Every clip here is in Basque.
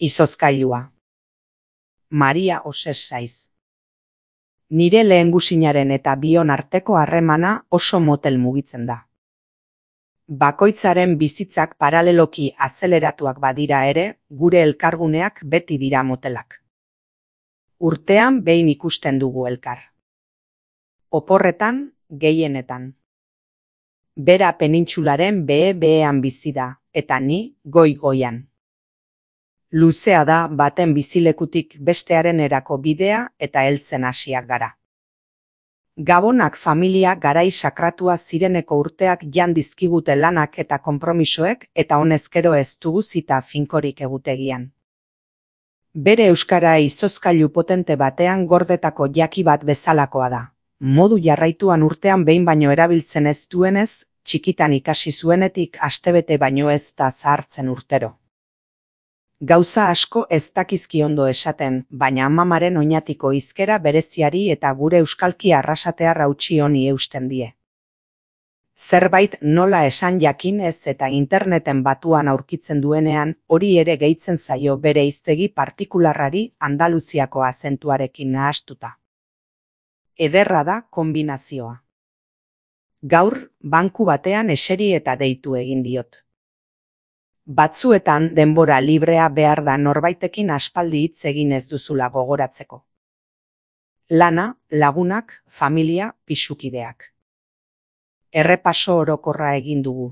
Izozkailua. Maria Oses Saiz. Nire lehengusinaren eta bion arteko harremana oso motel mugitzen da. Bakoitzaren bizitzak paraleloki azeleratuak badira ere, gure elkarguneak beti dira motelak. Urtean behin ikusten dugu elkar. Oporretan, gehienetan. Bera penintsularen behe-behean bizi da, eta ni goi-goian. Luzea da baten bizilekutik bestearen erako bidea eta heltzen hasiak gara. Gabonak familia garai sakratua zireneko urteak jan dizkigute lanak eta konpromisoek eta honezkero ez dugu zita finkorik egutegian. Bere euskara izozkailu potente batean gordetako jaki bat bezalakoa da. Modu jarraituan urtean behin baino erabiltzen ez duenez, txikitan ikasi zuenetik astebete baino ez da zahartzen urtero. Gauza asko ez dakizki ondo esaten, baina amamaren oinatiko hizkera bereziari eta gure euskalki arrasatea rautsi honi eusten die. Zerbait nola esan jakinez eta interneten batuan aurkitzen duenean, hori ere gehitzen zaio bere hiztegi partikularrari Andaluziako azentuarekin nahastuta. Ederra da konbinazioa. Gaur, banku batean eseri eta deitu egin diot. Batzuetan denbora librea behar da norbaitekin aspaldi hitz egin ez duzula gogoratzeko. Lana, lagunak, familia, pisukideak. Errepaso orokorra egin dugu.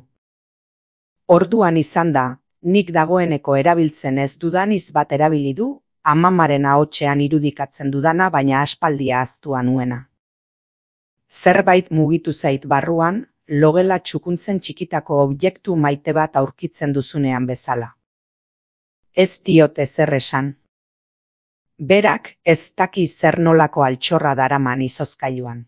Orduan izan da, nik dagoeneko erabiltzen ez dudaniz bat erabili du, amamaren ahotsean irudikatzen dudana baina aspaldia ahaztua nuena. Zerbait mugitu zait barruan, logela txukuntzen txikitako objektu maite bat aurkitzen duzunean bezala. Ez diot ezer esan. Berak ez daki zer nolako altxorra daraman izozkailuan.